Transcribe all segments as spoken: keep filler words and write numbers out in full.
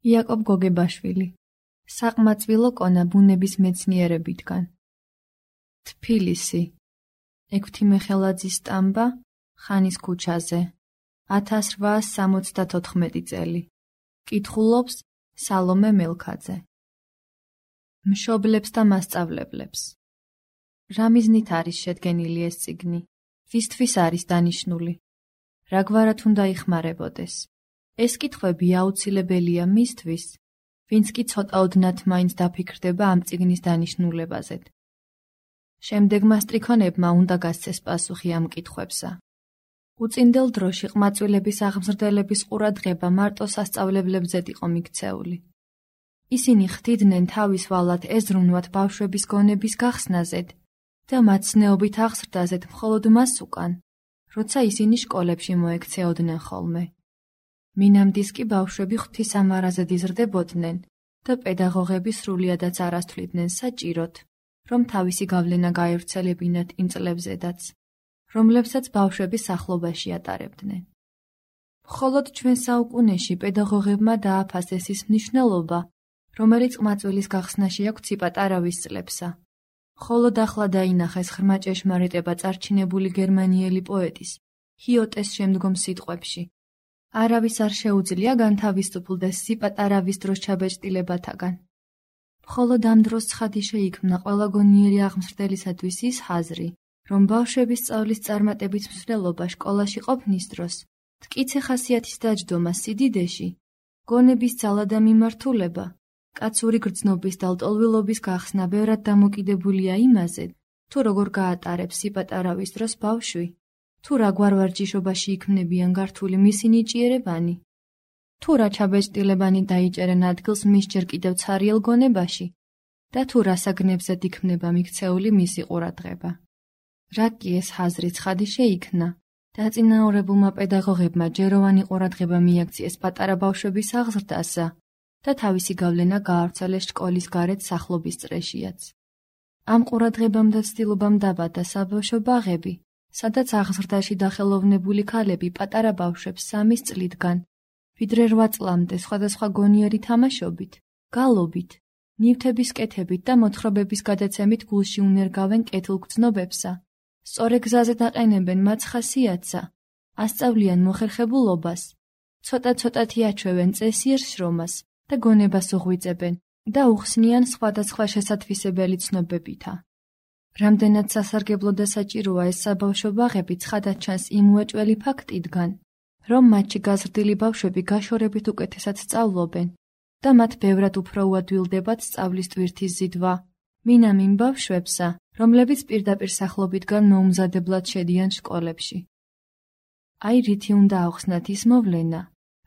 იაკობ გოგებაშვილი. საყმაწვილო კონა ბუნების მეცნიერებითგან. თბილისი. ექვთიმეხელაძის სტამბა, ხანის ქუჩაზე. ათას რვაას სამოცდათოთხმეტი წელი. კითხულობს სალომე მელქაძე. მშობლებს და მასწავლებლებს. რა მიზნით არის შედგენილი ეს წიგნი? ვისთვის არის დანიშნული? რაგვარად უნდა იხმარებოდეს? ეს კითხვები აუცილებელია მისთვის, ვინც კი ცოტა ოდნავ მაინც დაფიქრდება ამ წიგნის დანიშნულებაზე. შემდეგმა სტრიქონებმა უნდა გასცეს პასუხი ამ კითხვებსა. უწინდელ დროში ყმაწვილების აღმზრდელების ყურადღება მარტო სასწავლებლებზე იყო მიქცეული. ისინი ხდიდნენ თავის ვალად ეზრუნვათ ბავშვების გონების გახსნაზედ და მაცნეობით აღზრდაზედ მხოლოდ მას უკან, როცა ისინი სკოლებში მოექცეოდნენ ხოლმე. მინამდის კი ბავშვები ღვთისამარაზედ იზრდებოდნენ და პედაგოგები სრულიადაც არ ასთვლიდნენ საჭიროდ, რომ თავისი გავლენა გაევრცელებინათ იმ წლებზედაც, რომლებსაც ბავშვები სახლობაში ატარებდნენ. მხოლოდ ჩვენ საუკუნეში პედაგოგებმა დააფასეს ის მნიშვნელობა, რომელიც ყმაწვილის გახსნაში აქვს ციპატარავის წლებსა. მხოლოდ ახლა დაინახეს ღრმა ჭეშმარიტება წარჩინებული გერმანიელი პოეტის, ჰიოტეს შემდგომ სიტყვებში. არავის არ შეუძლია განთავისუფლდეს სიპატარავის დროს ჩაბეჭდილებათაგან. მხოლოდ ამ დროს ცხადი შეიქმნა ყველა გონიერი აღმზრდელისათვის ის ხაზრი, რომ ბავშვების სწავლის წარმატებით მსვლელობა სკოლაში ყოფნის დროს, მტკიცე ხასიათის დაჯდომა სიდიდეში, გონების ძალა და მიმართულება, კაცური გრძნობის და ლტოლვილობის გახსნა ბევრად დამოკიდებულია იმაზე, თუ როგორ გაატარებს სიპატარავის დროს ბავშვი, თუ რა გვარვარჯიშობაში იქმნებიან გართული მისი ნიჭიერებანი, თუ რა ჩაბეჭდილებანი დაიჭერენ ადგილს მის ჯერ კიდევ ცარიელ გონებაში და თუ რა საგნებზედ იქმნება მიქცეული მისი ყურადღება. რა კი ეს ხაზრი ცხადი შეიქმნა, დაწინაურებულმა პედაგოგებმა ჯეროვანი ყურადღება მიაქციეს პატარა ბავშვების აღზრდასა და თავისი გავლენა გაავრცელეს სკოლის გარეთ სახლობის წრეშიაც. ამ ყურადღებამ და ცდილობამ დაბადა საბავშვო ბაღები, სადაც აღზრდაში დახელოვნებული ქალები პატარა ბავშვებს სამის წლიდან, ვიდრე რვა წლამდე სხვადასხვა გონიერი თამაშობით, გალობით, ნივთების კეთებით და მოთხრობების გადაცემით გულში უნერგავენ კეთილგრძნობებსა, სწორე გზაზე დაყენებენ მათ ხასიათსა, ასწავლიან მოხერხებულობას, ცოტა-ცოტათი აჩვევენ წესიერ შრომას და გონებას უღვიწებენ და უხსნიან სხვადასხვა შესათვისებელი ცნობებითა. რამდენად სასარგებლო და საჭიროა ეს საბავშვო ბაღები ცხადად ჩანს იმ უეჭველი ფაქტიდან, რომ მათში გაზრდილი ბავშვები გაშორებით უკეთესად სწავლობენ და მათ ბევრად უფრო უადვილდებათ სწავლის ტვირთის ზიდვა, მინამ იმ ბავშვებსა, რომლებიც პირდაპირ სახლობიდან მოუმზადებლად შედიან სკოლებში. აი რითი უნდა ავხსნათ ის მოვლენა,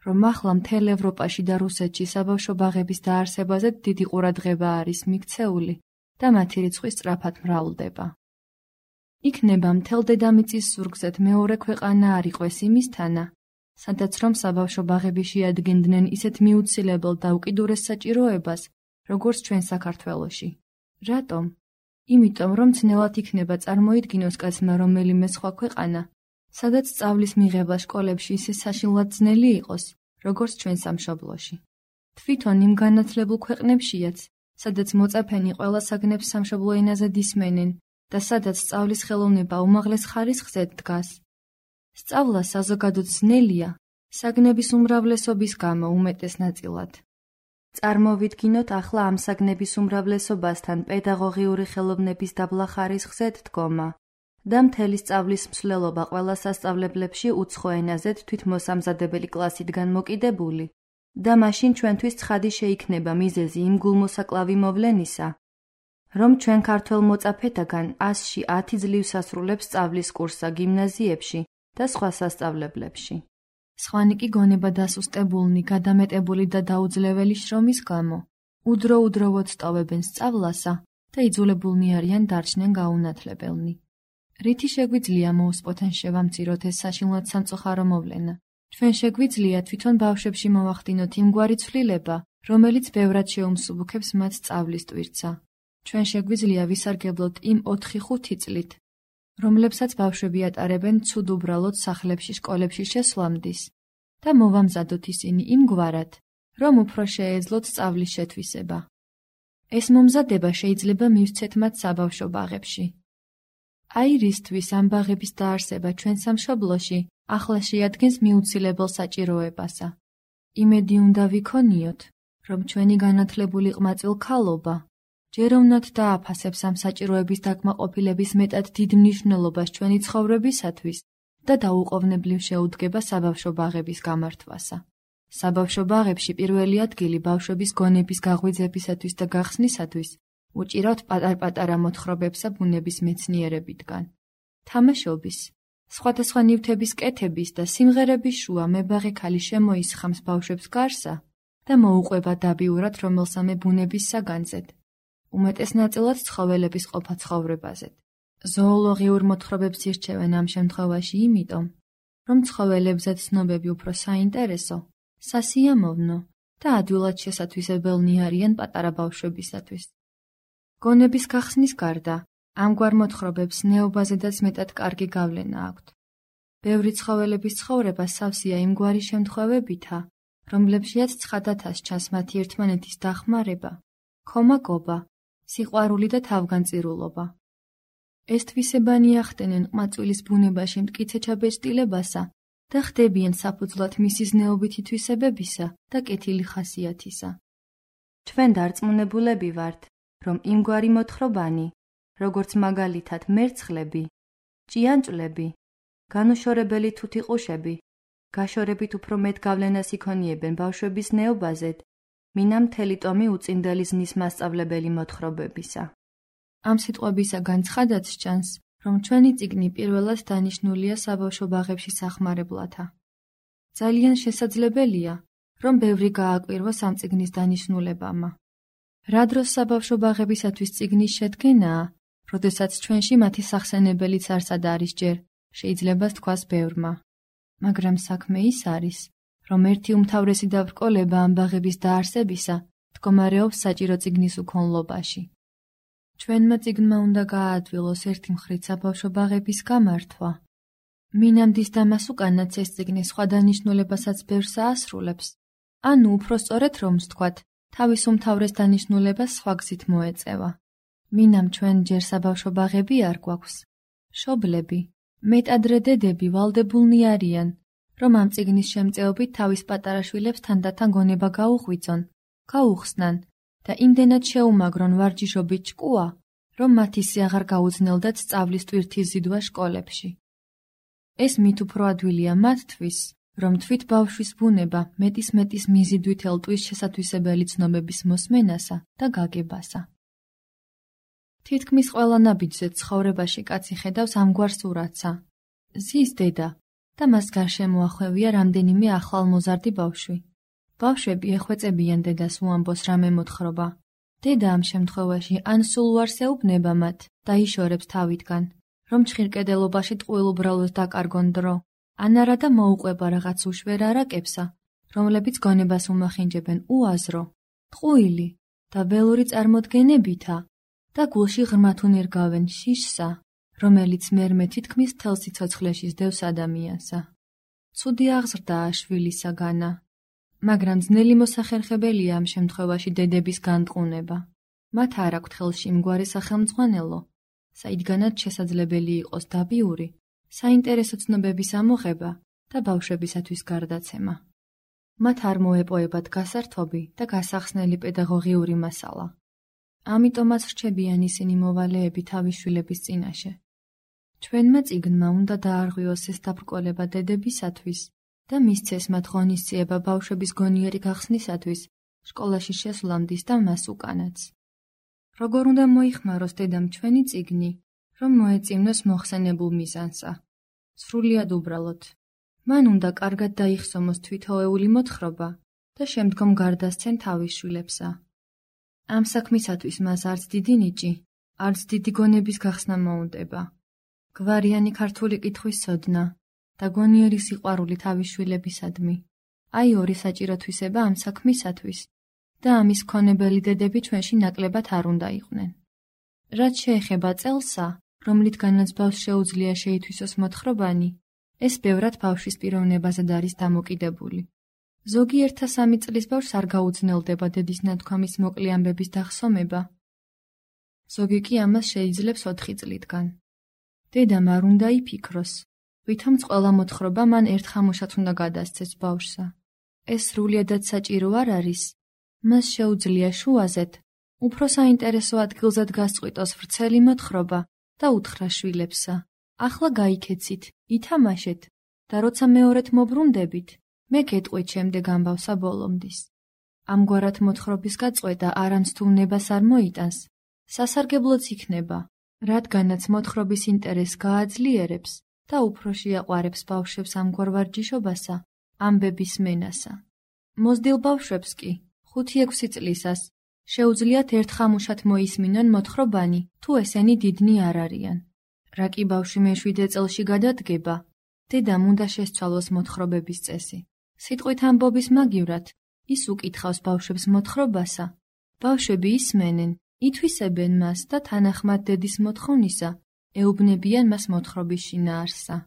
რომ ახლა მთელ ევროპაში და რუსეთში საბავშვო ბაღების დაარსებაზე დიდი ყურადღება არის მიქცეული და მათი რიცხვი სწრაფად მრავლდება. იქნება მთელ დედამიწის ზურგზედ მეორე ქვეყანა არ იყოს იმისთანა, სადაც რომ საბავშვო ბაღები შეადგენდნენ ისეთ მიუცილებელ და უკიდურეს საჭიროებას, როგორც ჩვენ საქართველოში. რატომ? იმიტომ, რომ ძნელად იქნება წარმოიდგინოს კაცმა რომელიმე სხვა ქვეყანა, სადაც სწავლის მიღება სკოლებში ისე საშინლად ძნელი იყოს, როგორც ჩვენ სამშობლოში. თვითონ იმ განათლებულ ქვეყნებშიაც, სადაც მოწაფენი ყველა საგნებს სამშობლო ენაზე ისმენენ და სადაც სწავლის ხელოვნება უმაღლეს ხარისხზე დგას. სწავლა საზოგადოდ ძნელია, საგნების უმრავლესობის გამო უმეტეს ნაწილად. წარმოვიდგინოთ ახლა ამ საგნების უმრავლესობასთან პედაგოგიური ხელოვნების დაბლა ხარისხზე დგომა და მთელი სწავლის მსვლელობა ყველა სასწავლებლებში უცხო ენაზე თვითმოსამზადებელი კლასიდან მოკიდებული და მაშინ ჩვენთვის ცხადი შეიქმნება მიზეზი იმ გულმოსაკლავი მოვლენისა, რომ ჩვენ ქართველ მოწაფეთაგან ასში ათი ძლივს ასრულებს სწავლის კურსსა გიმნაზიებში და სხვა სასწავლებლებში. სხვანი კი გონება დასუსტებულნი, გადამეტებული და დაუძლეველი შრომის გამო, უდრო-უდროვოდ სწავებენ სწავლასა და იძულებულნი არიან დარჩნენ გაუნათლებელნი. რითი შეგვიძლია მოუსპოთენ შევამციროთ ეს საშინლად სამწუხარო მოვლენა? ჩვენ შეგვიძლია თვითონ ბავშვებში მოვახდინოთ იმგვარი ცვლილება, რომელიც ბევრად შეუმსუბუქებს მათ სწავლის ტვირთსა. ჩვენ შეგვიძლია ვისარგებლოთ იმ ოთხი-ხუთი წლით, რომლებსაც ბავშვები ატარებენ ცუდ უბრალოდ სახლებში, სკოლებში შესვლამდის და მოვამზადოთ ისინი იმგვარად, რომ უფრო შეეძლოთ სწავლის შეთვისება. ეს მომზადება შეიძლება მივცეთ მათ საბავშვო ბაღებში. აი რისთვის ამ ბაღების დაარსება ჩვენ სამშობლოში ახლა შეადგენს მიუცილებელ საჭიროებასა. იმედი უნდა ვიქონიოთ, რომ ჩვენი განათლებული ყმაწვილ ქალობა ჯეროვნად დააფასებს ამ საჭიროების დაკმაყოფილების მეტად დიდ მნიშვნელობას ჩვენი ცხოვრებისათვის და დაუყოვნებლივ შეუდგება საბავშვო ბაღების გამართვასა. საბავშვო ბაღებში პირველი ადგილი ბავშვების გონების გაღვიძებისათვის და გახსნისათვის უჭირავთ პატარ-პატარა მოთხრობებსა ბუნების მეცნიერებიდან. თამაშობის, სხვადასხვა ნივთების კეთების და სიმღერების შუა მებაღე ქალი შემოისხამს ბავშვებს გარსა და მოუყვება დაბიურად რომელსამე ბუნების საგანძედ. უმეტეს ნაწილად ცხოველების ყოფა ცხოვრებაზე. ზოოლოგიურ მოთხრობებს ირჩევენ ამ შემთხვევაში იმიტომ, რომ ცხოველებზე ცნობები უფრო საინტერესო, სასიამოვნო და ადვილად შესათვისებელნი არიან პატარა ბავშვებისათვის. გონების გახსნის გარდა, ამგვარ მოთხრობებს ნეობაზედაც მეტად კარგი გავლენა აქვთ. ბევრი ცხოველების ცხოვრება სავსეა იმგვარი შემთხვევებითა, რომლებშიაც ცხადათას ჩანს მათი ერთმანეთის დახმარება, ქომაგობა, სიყვარული და თავგანწირულობა. ეს თვისებანი ახდენენ ყმაწვილის ბუნებაში მტკიცე ჩაბეჭდილებასა და ხდებიან საფუძვლად მისი ზნეობითი თვისებებისა და კეთილი ხასიათისა. ჩვენ დარწმუნებულები ვართ, რომ იმგვარი მოთხრობანი, როგორც მაგალითად მერცხლები, ჭიანჭვლები, განუშორებელი თუთიყუშები, გაშორებით უფრო მეტ გავლენას იქონიებენ ბავშვების ზნეობაზედ, მინამ მთელი ტომი უწინდელი ზნის მასწავლებელი მოთხრობებისა. ამ სიტყვებისაგან ცხადად სჩანს, რომ ჩვენი წიგნი პირველად დანიშნულია საბავშვო ბაღებში სახმარებლათა. ძალიან შესაძლებელია, რომ ბევრი გააკვირვოს ამ წიგნის დანიშნულებამა. რა დროს საბავშვო ბაღებისათვის წიგნის შედგენაა, როდესაც ჩვენში მათი სახსენებელიც არსად არის ჯერ, შეიძლება თქვას ბევრმა. მაგრამ საქმე ის არის, რომ ერთი უმთავრესი დაბრკოლება ამ ბაღების დაარსებისა მდგომარეობს საჭირო წიგნის უქონლობაში. ჩვენმა წიგნმა უნდა გააადვილოს ერთი მხრით საბავშვო ბაღების გამართვა. მინამდის დამას უკანაც ეს წიგნი სხვა დანიშნულებასაც ბევრს აასრულებს, ანუ უფრო სწორედ რომ ვთქვათ, თავის უმთავრეს დანიშნულებას სხვა გზით მოეწევა. მინამ ჩვენ ჯერ საბავშვო ბაღები არ გვაქვს. მშობლები, მეტადრე დედები ვალდებულნი არიან, რომ ამ წიგნის შემწეობით თავის პატარა შვილებს თანდათან გონება გაუღვიძონ, გაუხსნან და იმდენად შეუმაგრონ ვარჯიშობით ჭკუა, რომ მათ ისე აღარ გაუძნელდათ სწავლის ტვირთის ზიდვა შკოლებში. ეს მით უფრო ადვილია მათთვის, რომ თვით ბავშვის ბუნება მეტის-მეტის მიზიდვით ელტვის შესათვისებელი ცნობების მოსმენასა და გაგებასა. თითქმის ყველა ნაბიჯზე ცხოვრებაში კაცი ხედავს ამგვარ სურათსა. ზის დედა და მას გარშემო ახვევია რამდენიმე ახალმოზარდი ბავშვი. ბავშვები ეხვეწებიან დედას უამბოს რამე მოთხრობა. დედა ამ შემთხვევაში ან სულ უარს ეუბნება მათ და იშორებს თავიდან, რომ ჩხირკედელობაში ტყუილ უბრალოდ დაკარგონ დრო, ან არა და მოუყვება რაღაც უშვერ არაკებსა, რომლებიც გონებას უმახინჯებენ უაზრო, ტყუილი და ველური წარმოდგენებითა და გულში ღრმათ უნერგავენ შიშსა, რომელიც მერმე თითქმის მთელ სიცოცხლეში სდევს ადამიანსა. ცუდი აღზრდაა შვილისაგანა, მაგრამ ძნელი მოსახერხებელია ამ შემთხვევაში დედების განტყუნება. მათ არ აქვთ ხელში მგვარი სახელმძღვანელო, საიდანაც შესაძლებელი იყოს დაბიური, საინტერესო ცნობების ამოღება და ბავშვებისათვის გარდაცემა. მათ არ მოეპოებათ გასართობი და გასახსნელი პედაგოგიური მასალა. ამიტომაც რჩებიან ისინი მოვალეები თავის შვილების წინაშე. ჩვენმა წიგნმა უნდა დაარღვიოს ეს დაბრკოლება დედებისათვის და მისცეს მათ ღონისძიება ბავშვების გონიერი გახსნისათვის სკოლაში შესვლამდის და მას უკანაც. როგორ უნდა მოიხმაროს დედამ ჩვენი წიგნი, რომ მოეწინოს მოხსენებულ მიზანსა? სრულიად უბრალოდ. მან უნდა კარგად დაიხსომოს თვითოეული მოთხრობა და შემდგომ გარდასცენ თავის შვილებსა. ამ საქმისათვის მას არც დიდი ნიჭი, არც დიდი გონების გახსნა მოუნდება. გვარიანი ქართული კითხვის ცოდნა და გონიერი სიყვარული თავის შვილებისადმი. აი ორი საჭირო თვისება ამ საქმისათვის და ამის მქონებელი დედები ჩვენში ნაკლებად არ უნდა იყვნენ. რაც შეეხება წელსა, რომლითგანაც ბავშვს შეუძლია შეითვისოს მოთხრობანი, ეს ბევრად ბავშვის პიროვნებაზე არის დამოკიდებული. ზოგიერთთა სამი წლის ბავშვს არ გაუძნელდება დედის ნათქვამის მოკლე ამბების დახსოვება. ზოგი კი ამას შეიძლებს ოთხი წლიდან. დედამ არ უნდა იფიქროს, ვითომც ყველა მოთხრობა მან ერთხამუშად უნდა გადასცეს ბავშვსა. ეს სრულიადად საჭირო არ არის, მას შეუძლია შუაზეთ, უფრო საინტერესო ადგილზად გასწყვიტოს ვრცელი მოთხრობა და უთხრა შვილებსა. ახლა გაიქეცით, ითამაშეთ და როცა მეორედ მობრუნდებით, მე გეტყვით შემდეგ ამბავსა ბოლომდის. ამგვარად მოთხრობის გაწყვეტა არამც თუ ნებას არ მოიტანს, სასარგებლოც იქნება, რადგანაც მოთხრობის ინტერესს გააძლიერებს და უფრო შეაყვარებს ბავშვებს ამგვარ ვარჯიშობასა, ამბების მენასა. მოზრდილ ბავშვებს კი, ხუთი-ექვსი წლისას, შეუძლიათ ერთხამუშად მოისმინონ მოთხრობანი, თუ ესენი დიდნი არ არიან. რა კი ბავშვი მეშვიდე წელში გადადგება, დედამ უნდა შესცვალოს მოთხრობების წესი. სიტყვით ამბობის მაგივრად, ის უკითხავს ბავშვებს მოთხრობასა. ბავშვები ისმენენ, ითვისებენ მას და თანახმად დედის მოთხოვნისა, ეუბნებიან მას მოთხრობის შინაარსსა.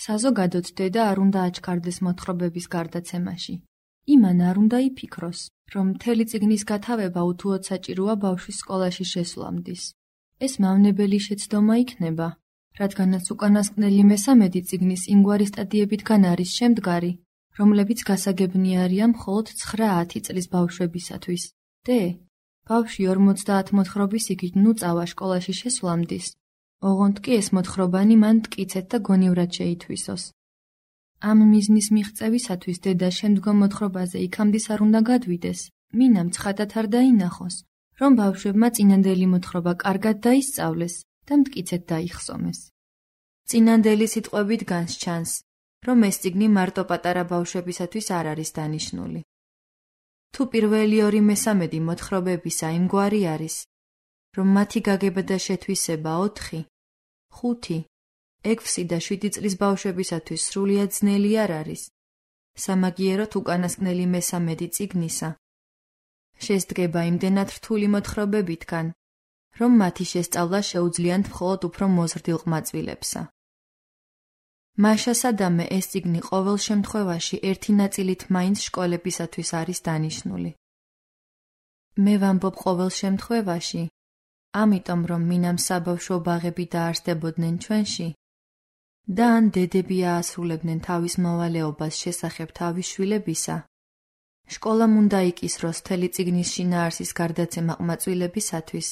საზოგადოდ დედა არ უნდა აჩქარდეს მოთხრობების გარდაცემაში. იმან არ უნდა იფიქროს, რომ მთელი წიგნის გათავება უთუოდ საჭიროა ბავშვის სკოლაში შესვლამდის. ეს მავნებელი შეცდომა იქნება, რადგანაც უკანასკნელი მესამედი წიგნის იმგვარი სტადიებიდან არის შემდგარი, რომლებიც გასაგებნი არიან მხოლოდ ცხრა-ათი წლის ბავშვებისათვის. დე, ბავშვი ორმოცდაათ მოთხრობის იქით ნუ წავა სკოლაში შესვლამდის, ოღონდ კი ეს მოთხრობანი მან მტკიცეთ და გონივრად შეითვისოს. ამ მიზნის მიღწევისათვის დედა შემდგომ მოთხრობაზე იქამდის არ უნდა გადვიდეს, მინამ ცხადად არ დაინახოს, რომ ბავშვებმა წინანდელი მოთხრობა კარგად დაისწავლეს და მტკიცეთ დაიხსომეს. წინანდელი სიტყვებით განსჩანს, რომ ეს წიგნი მარტო პატარა ბავშვებისათვის არ არის დანიშნული. თუ პირველი ორი მესამედი მოთხრობებისა იმგვარი არის, რომ მათი გაგება და შეთვისება ოთხი, ხუთი, ექვსი და შვიდი წლის ბავშვებისათვის სრულიად ძნელი არ არის, სამაგიეროდ უკანასკნელი მესამედი წიგნისა შესდგება იმდენად რთული მოთხრობებითგან, რომ მათი შესწავლა შეუძლიათ მხოლოდ უფრო მოზრდილ ყმაწვილებსა. მაშასადამე ეს წიგნი ყოველ შემთხვევაში ერთი ნაწილით მაინც სკოლებისათვის არის დანიშნული. მე ვამბობ ყოველ შემთხვევაში, ამიტომ რომ მინამ საბავშვო ბაღები დაარსდებოდნენ ჩვენში და ან დედები აასრულებდნენ თავის მოვალეობას შესახებ თავის შვილებისა, სკოლამ უნდა იკისროს მთელი წიგნის შინაარსის გარდაცემა ყმაწვილებისათვის,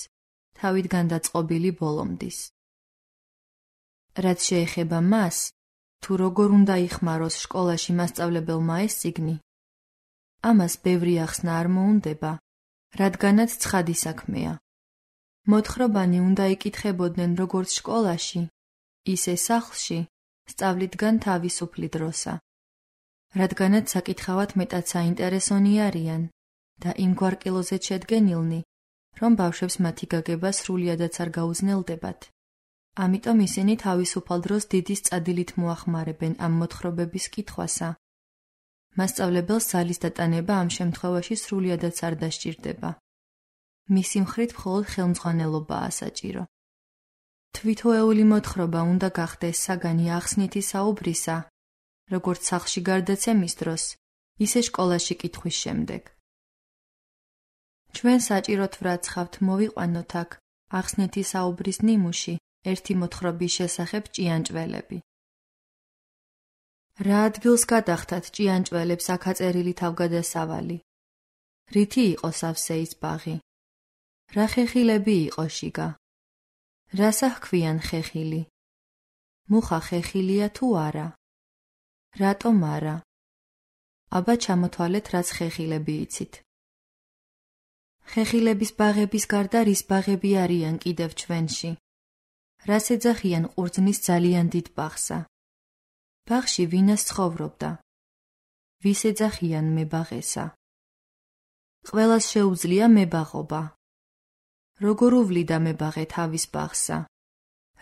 თავიდან დაწყობილი ბოლომდის. რაც შეეხება მას, თუ როგორ უნდა იხმაროს სკოლაში მასწავლებელმა ეს წიგნი, ამას ბევრი ახსნა არ მოუნდება, რადგანაც ცხადი საქმეა. მოთხრობანი უნდა იკითხებოდნენ როგორც სკოლაში, ისე სახლში, სწავლიდან თავისუფლი დროსა. რადგანაც საკითხავად მეტად საინტერესონი არიან და იმგვარ კილოზეც შედგენილნი, რომ ბავშვებს მათი გაგება სრულიადაც არ გაუძნელდებათ. ამიტომ ისინი თავისუფალ დროს დიდი სწადილით მოახმარებენ ამ მოთხრობების კითხვასა. მასწავლებელს ძალის დატანება ამ შემთხვევაში სრულიადაც არ დასჭირდება. მისი მხრით მხოლოდ ხელმძღვანელობაა საჭირო. თვითოეული მოთხრობა უნდა გახდეს საგანი ახსნითი საუბრისა, როგორც სახლში გარდაცემის დროს, ისე სკოლაში კითხვის შემდეგ. ჩვენ საჭიროდ ვრაცხავთ მოვიყვანოთ აქ ახსნითი საუბრის ნიმუში ერთი მოთხრობის შესახებ ჭიანჭველები. რა ადგილს გადახტათ ჭიანჭველებს აქ აწერილი თავგადასავალი? რითი იყო სავსე ის ბაღი? რა ხეხილები იყო შიგა? რასა ჰქვიან ხეხილი? მუხა ხეხილია თუ არა? რატომ არა? აბა ჩამოთვალეთ რაც ხეხილები იცით. ხეხილების ბაღების გარდა რის ბაღები არიან კიდევ ჩვენში? რას ეძახიან ყურძნის ძალიან დიდ ბაღსა? ბაღში ვინას ცხოვრობდა? ვის ეძახიან მებაღესა? ყველას შეუძლია მებაღობა. როგორ უვლიდა მებაღე თავის ბაღსა?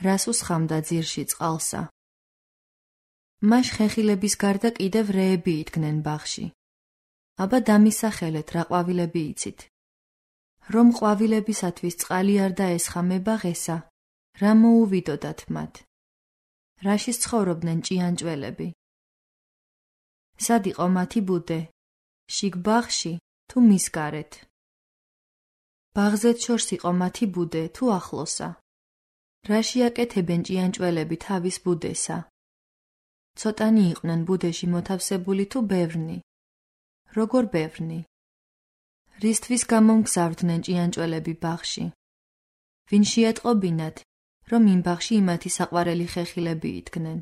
რას უსხამდა ძირში წყალსა? მაშ ხეხილების გარდა კიდევ რეები იდგნენ ბაღში. აბა დამისახელეთ რა ყვავილები იცით. რომ ყვავილებისათვის წყალი არ დაესხა მებაღესა, რა მოუვიდოდათ მათ? რაში ცხოვრობდნენ ჭიანჭველები? სად იყო მათი ბუდე? შიგ ბაღში თუ მის გარეთ. ბაღზეც შორს იყო მათი ბუდე თუ ახლოსა. რაში აკეთებენ ჭიანჭველები თავის ბუდესა? ცოტანი იყვნენ ბუდეში მოთავსებული თუ ბევრნი? როგორ ბევრნი? რისთვის გამომგზავრდნენ ჭიანჭველები ბაღში? ვინ შეატყობინათ, რომ იმ ბაღში იმათი საყვარელი ხეხილები იდგნენ?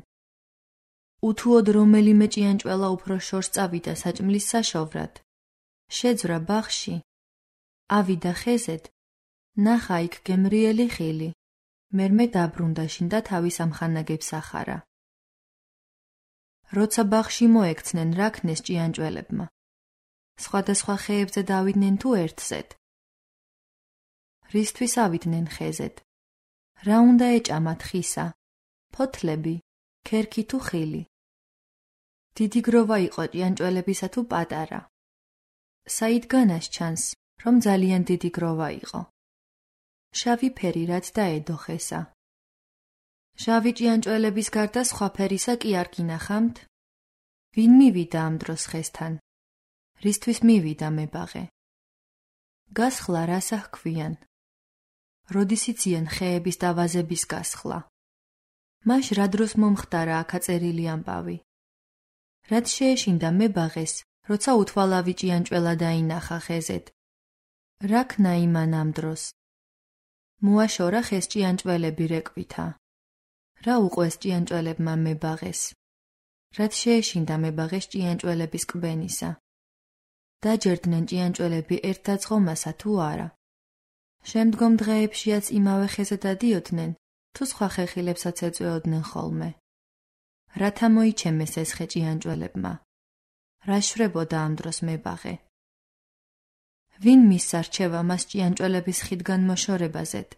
უთუოდ რომელიმე ჭიანჭველა უფრო შორს წავიდა საჭმლის საშოვრად. შეძვრა ბაღში. ავიდა ხეზეთ, ნახა იქ გემრიელი ხილი. მერმე დაბრუნდა შინ და თავის ამხანაგებს ახარა. როცა ბაღში მოექცნენ, რა ქნეს ჭიანჭველებმა? სხვადასხვა ხეებზე დავიდნენ თუ ერთზედ? რისთვის ავიდნენ ხეზეთ? რა უნდა ეჭამათ ხისა? ფოთლები, ქერქი თუ ხილი? დიდი გროვა იყო ჭიანჭველებისა თუ პატარა? საიდგანაც ჩანს, რომ ძალიან დიდი გროვა იყო. შავი ფერი რაც დაედო ხესა. შავი ჭიანჭველების გარდა სხვა ფერისა კი არ გინახამთ? ვინ მივიდა ამ დროს ხესთან? რისთვის მივიდა მებაღე? გასხლა რასა ჰქვიან? როდის იციან ხეების და ვაზების გასხლა? მაშ რა დროს მომხდარა აქ აწერილი ამბავი? რაც შეეშინდა მებაღეს, როცა უთვალავი ჭიანჭველა დაინახა ხეზეთ? რა ქნა იმან ამ დროს? მოაშორა ხეს ჭიანჭველები რეკვითა. რა უყვეს ჭიანჭველებმა მებაღეს? რაც შეეშინდა მებაღეს ჭიანჭველების კბენისა? დაჯერდნენ ჭიანჭველები ერთ დაწყომასა თუ არა? შემდგომ დღეებშიაც იმავე ხეზე დადიოდნენ, თუ სხვა ხეხილებსაც ეწვეოდნენ ხოლმე? რათა მოიჩემეს ეს ხე ჭიანჭველებმა? რა შვრებოდა ამ დროს მებაღე? ვინ მისცა რჩევა მას ჭიანჭველების ხიდგან მოშორებაზედ?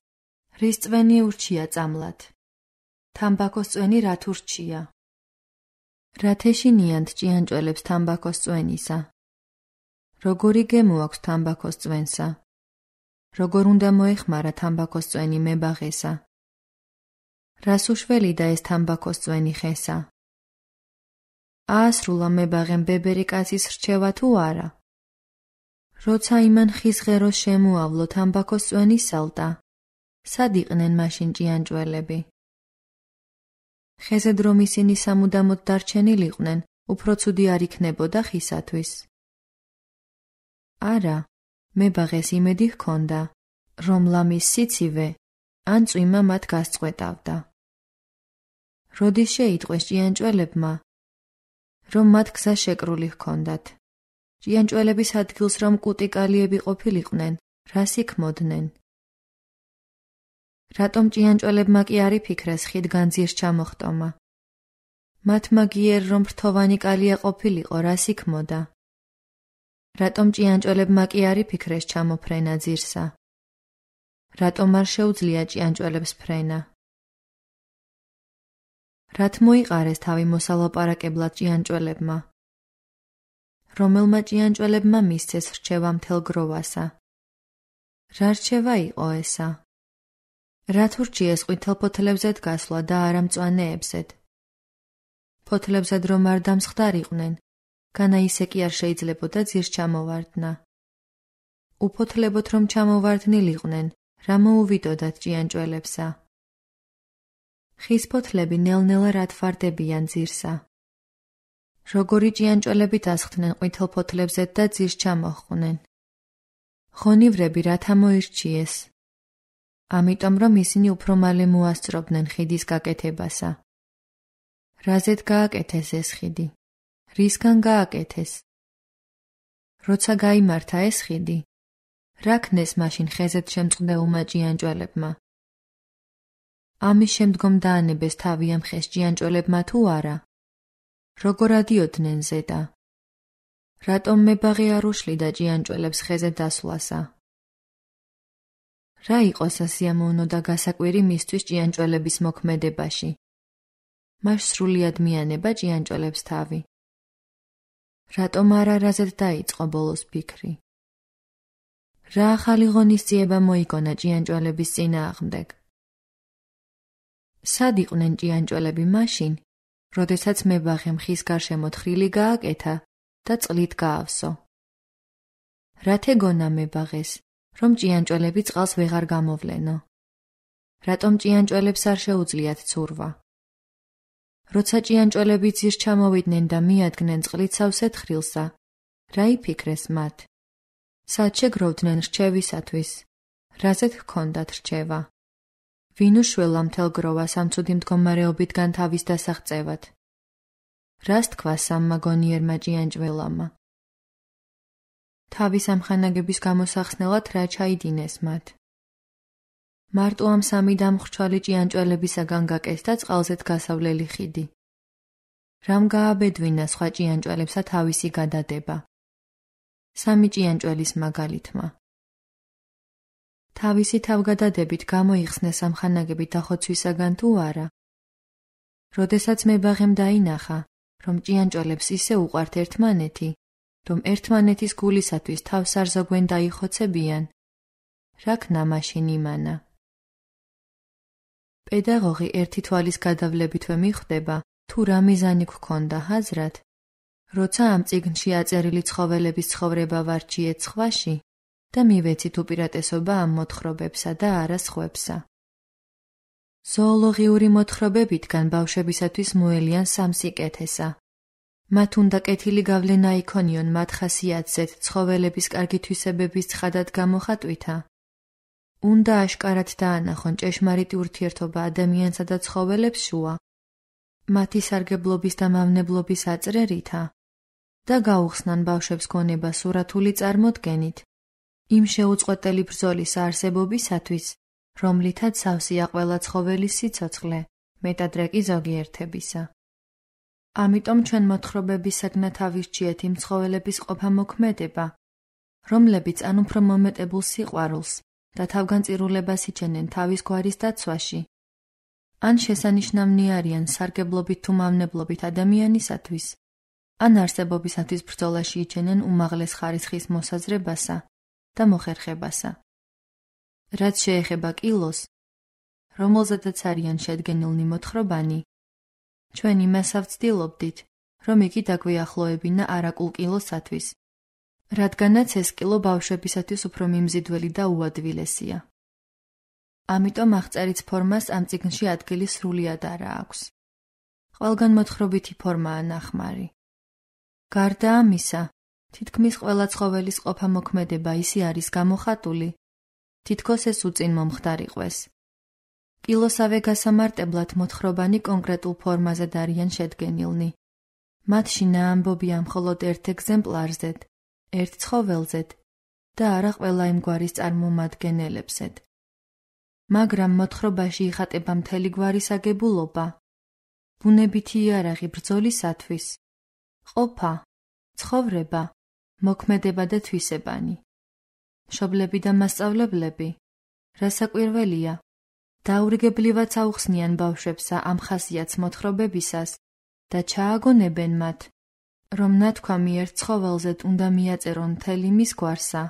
რის წვენი ურჩია წამლად? თამბაქოს წვენი რათ ურჩია? რათ ეშინიანთ ჭიანჭველებს თამბაქოს წვენისა? როგორი გემო აქვს თამბაქოს წვენსა? როგორ უნდა მოეხმარა თამბაქოს წვენი მებაღესა? რას უშველიდა ეს თამბაქოს წვენი ხესა? აასრულა მებაღემ ბებერი კაცის რჩევა თუ არა? როცა იმან ხის ღეროს შემოავლო თამბაქოს წვენი სალტა, სად იყვნენ მაშინ ჭიანჭველები? ხეზე რომ ისინი სამუდამოდ დარჩენილიყვნენ, უფრო ცუდი არ იქნებოდა ხისათვის? არა, მებაღეს იმედი ჰქონდა, რომ ლამის სიცივე ან წვიმა მათ გასწყვეტავდა. როდის შეიტყვეს ჭიანჭველებმა, რომ მათ გზა შეკრული ჰქონდათ? ჭიანჭველების ადგილს რომ კუტიკალიები ყოფილიყვნენ, რას იქმოდნენ? რატომ ჭიანჭველებმა კი არ იფიქრეს ხიდგან ძირს ჩამოხტომა? მათმა გიერ რომ ფრთოვანი კალია ყოფილიყო, რას იქმოდა? რატომ ჭიანჭველებმა კი არ იფიქრეს ჩამოფრენა ძირსა? რატომ არ შეუძლია ჭიანჭველებს ფრენა? რათ მოიყარეს თავი მოსალაპარაკებლად ჭიანჭველებმა? რომელმა ჭიანჭველებმა მისცეს რჩევა მთელ გროვასა? რა რჩევა იყო ესა? რათ ურჩიეს ყვითელ ფოთლებზედ გასვლა და არა მწვანეებზედ? ფოთლებზედ რომ არ დამსხდარიყვნენ, განა ისე კი არ შეიძლებოდა ძირს ჩამოვარდნა. უფოთლებოთ რომ ჩამოვარდნილიყვნენ, რა მოუვიდოდათ ჭიანჭველებსა? ხის ფოთლები ნელ-ნელა რათ ვარდებიან ძირსა? როგორი ჭიანჭველები დასხდნენ ყვითელ ფოთლებზედ და ძირს ჩამოჰყვნენ? ღონივრები რათა მოირჩიეს? ამიტომ რომ ისინი უფრო მალე მოასწრობდნენ ხიდის გაკეთებასა. რაზედ გააკეთეს ეს ხიდი? რისგან გააკეთეს? როცა გაიმართა ეს ხიდი, რა ქნეს მაშინ ხეზეთ შემწყდეულმა ჭიანჭველებმა? ამის შემდგომ დაანებეს თავი ამ ხეს ჭიანჭველებმა თუ არა? როგორ ადიოდნენ ზედა? რატომ მებაღე არ უშლიდა ჭიანჭველებს ხეზე დასვლასა? რა იყო სასიამოვნო და გასაკვირი მისთვის ჭიანჭველების მოქმედებაში? მას სრულიად მიანება ჭიანჭველებს თავი. რატომ არ არაზედ დაიწყო ბოლოს ფიქრი? რა ახალი ღონისძიება მოიგონა ჭიანჭველების წინააღმდეგ? სად იყვნენ ჭიანჭველები მაშინ, როდესაც მებაღემ ხის გარშემო თხრილი გააკეთა და წყლით გაავსო? რათ ეგონა მებაღეს, რომ ჭიანჭველები წყალს ვეღარ გამოვლენო? რატომ ჭიანჭველებს არ შეუძლიათ ცურვა? როცა ჭიანჭველები ძირს ჩამოვიდნენ და მიადგნენ წყლით სავსე თხრილსა, რა იფიქრეს მათ? სად შეგროვდნენ რჩევისათვის? რაზეც ჰქონდათ რჩევა? ვინ უშველა მთელ გროვას ამ ცუდი მდგომარეობიდან თავის დასაღწევად? რას თქვა სამმა გონიერმა ჭიანჭველამა? თავის ამხანაგების გამოსახსნელად რა ჩაიდინეს მათ? მარტო ამ სამი დამხრჩვალი ჭიანჭველებისაგან გაკეთდა წყალზეთ გასავლელი ხიდი. რამ გააბედვინა სხვა ჭიანჭველებსა თავისი გადადება? სამი ჭიანჭველის მაგალითმა. თავისი თავგადადებით გამოიხსნეს ამხანაგები დახოცვისაგან თუ არა? როდესაც მებაღემ დაინახა, რომ ჭიანჭველებს ისე უყვართ ერთმანეთი, რომ ერთმანეთის გულისათვის თავს არ ზოგვენ დაიხოცებიან, რა ქნა მაშინ იმანა? პედაგოგი ერთი თვალის გადავლებითვე მიხვდება, თუ რა მიზანი გქონდა ჰაზრათ, როცა ამ წიგნში აწერილი ცხოველების ცხოვრება ვარჩიეთ სხვაში და მივეცით უპირატესობა ამ მოთხრობებსა და არა სხვებსა. ზოოლოგიური მოთხრობებიდან ბავშვებისათვის მოელიან სამ სიკეთესა. მათ უნდა კეთილი გავლენა იქონიონ მათ ხასიათზეთ ცხოველების კარგი თვისებების ცხადად გამოხატვითა. უნდა აშკარად დაანახონ ჭეშმარიტი ურთიერთობა ადამიანსა და ცხოველებს შუა, მათი სარგებლობის და მავნებლობის აწრერითა და გაუხსნან ბავშვებს გონება სურათული წარმოდგენით იმ შეუწყვეტელი ბრძოლის არსებობისათვის, რომლითაც სავსეა ყველა ცხოველის სიცოცხლე, მეტად რეკი ზოგიერთებისა. ამიტომ ჩვენ მოთხრობებისაგან ავირჩიეთ იმ ცხოველების ყოფა-მოქმედება, რომლებიც ან უფრო მომეტებულ სიყვარულს და თავგანწირულებას იჩენენ თავის გვარის დაცვაში, ან შესანიშნავნი არიან სარგებლობით თუ მავნებლობით ადამიანისათვის, ან არსებობისათვის ბრძოლაში იჩენენ უმაღლეს ხარისხის მოსაზრებასა და მოხერხებასა. რაც შეეხება კილოს, რომელზედაც არიან შედგენილნი მოთხრობანი, ჩვენ იმას ავცდილობდით, რომ იგი დაგვიახლოებინა არაკულ კილოსათვის, რადგანაც ეს კილო ბავშვებისათვის უფრო მიმზიდველი და უადვილესია. ამიტომ აღწერის ფორმას ამ წიგნში ადგილი სრულად არა აქვს. ყველგან მოთხრობითი ფორმაა ნახმარი. გარდა ამისა, თითქმის ყველა ცხოველის ყოფა-მოქმედება ისე არის გამოხატული, თითქოს ეს უწინ მომხდარიყვეს. კილოსავე გასამარტებლად მოთხრობანი კონკრეტულ ფორმაზედ არიან შედგენილნი. მათში ნაამბობია მხოლოდ ერთ ეგზემპლარზედ, ერთ ცხოველზედ და არა ყველა იმ გვარის წარმომადგენლებზედ. მაგრამ მოთხრობაში იხატება მთელი გვარის აგებულობა, ბუნებითი იარაღი ბრძოლისათვის, ყოფა, ცხოვრება, მოქმედება და თვისებანი. მშობლები და მასწავლებლები, რასაკვირველია, დაურიგებლივად აუხსნიან ბავშვებსა ამ ხასიათს მოთხრობებისას და ჩააგონებენ მათ, რომ ნათქვამი ერთ ცხოველზედ უნდა მიაწერონ მთელი მის გვარსა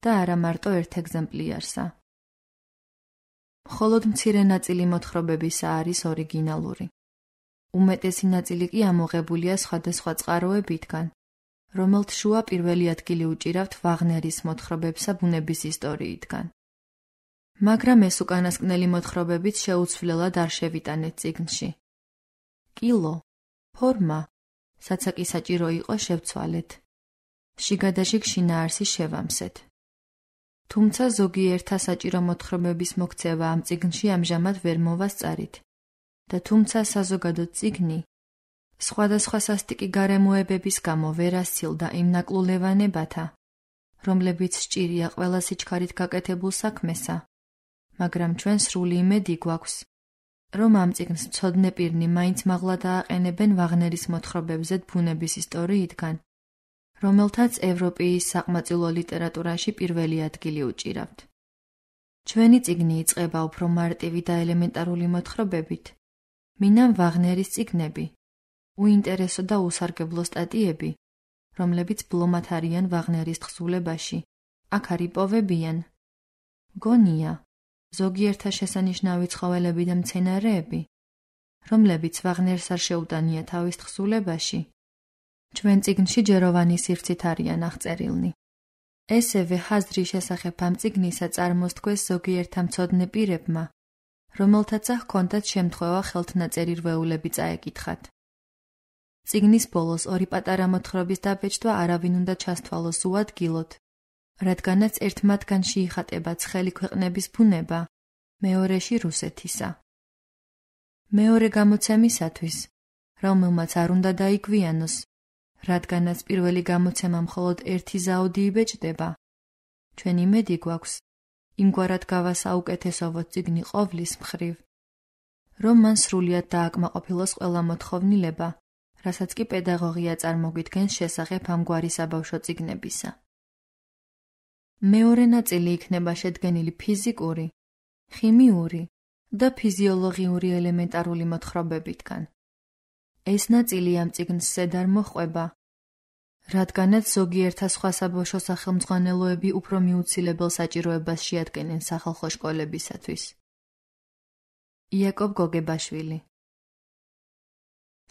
და არა მარტო ერთ ეგზემპლიარსა. მხოლოდ მცირე ნაწილი მოთხრობებისა არის ორიგინალური. უმეტესი ნაწილი კი ამოღებულია სხვადასხვა წყაროებიდან, რომელთ შუა პირველი ადგილი უჭირავთ ვაგნერის მოთხრობებსა ბუნების ისტორიიდან. მაგრამ ეს უკანასკნელი მოთხრობებიც შეუცვლელად არ შევიტანეთ წიგნში. კილო, ფორმა, საცაკი საჭირო იყო შევცვალეთ. შიგადაშიგ შინაარსი შევამსეთ. თუმცა ზოგიერთა საჭირო მოთხრობების მოქცევა ამ წიგნში ამჟამად ვერ მოვასწარით და თუმცა საზოგადო წიგნი სხვადასხვა სასტიკი გარემოებების გამო ვერ ასცილდა იმ ნაკლულევანებათა, რომლებიც სჭირია ყველა სიჩქარით გაკეთებულ საქმესა, მაგრამ ჩვენ სრული იმედი გვაქვს, რომ ამ წიგნს მცოდნე პირნი მაინც მაღლა დააყენებენ ვაგნერის მოთხრობებზედ ბუნების ისტორიიდან, რომელთაც ევროპის საყმაწვილო ლიტერატურაში პირველი ადგილი უჭირავთ. ჩვენი წიგნი იწყება უფრო მარტივი და ელემენტარული მოთხრობებით, მინამ ვაგნერის წიგნები, უინტერესო და უსარგებლო სტატიები, რომლებიც ბლომად არიან ვაგნერის თხზულებაში, აქ არ იპოვებიან. გონია, ზოგიერთა შესანიშნავი ცხოველები და მცენარეები, რომლებიც ვაგნერს არ შეუტანია თავის თხზულებაში, ჩვენ წიგნში ჯეროვანი სივრცით არიან აღწერილნი. ესევე ხაზრის შესახებ ამ წიგნისა წარმოსთქვეს ზოგიერთ მცოდნე პირებმა, რომელთაცა ჰქონდათ შემთხვევა ხელთნაწერი რვეულები წაეკითხათ. წიგნის ბოლოს ორი პატარა მოთხრობის დაბეჭდვა არავინ უნდა ჩასთვალოს უადგილოდ, რადგანაც ერთ მათგანში იხატება ცხელი ქვეყნების ბუნება, მეორეში რუსეთისა. მეორე გამოცემისათვის, რომელმაც არ უნდა დაიგვიანოს, რადგანაც პირველი გამოცემა მხოლოდ ერთი ზაუდი იბეჭდება, ჩვენ იმედი გვაქვს, იმგვარად გავასაუკეთესოვოთ წიგნი ყოვლის მხრივ, რომ მან სრულიად დააკმაყოფილოს ყველა მოთხოვნილება, რასაც კი პედაგოგია წარმოგვიდგენს შესახებ ამგვარი საბავშვო წიგნებისა. მეორე ნაწილი იქნება შედგენილი ფიზიკური, ხიმიური და ფიზიოლოგიური ელემენტარული მოთხრობებითგან. ეს ნაწილი ამ წიგნს ზედ არ მოჰყვება, რადგანაც ზოგიერთა სხვა საბავშვო სახელმძღვანელოები უფრო მიუცილებელ საჭიროებას შეადგენენ სახალხო შკოლებისათვის. იაკობ გოგებაშვილი.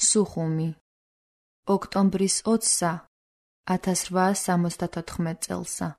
სუხუმი. ოქტომბრის ოცსა ათას რვაას სამოცდათოთხმეტ წელსა.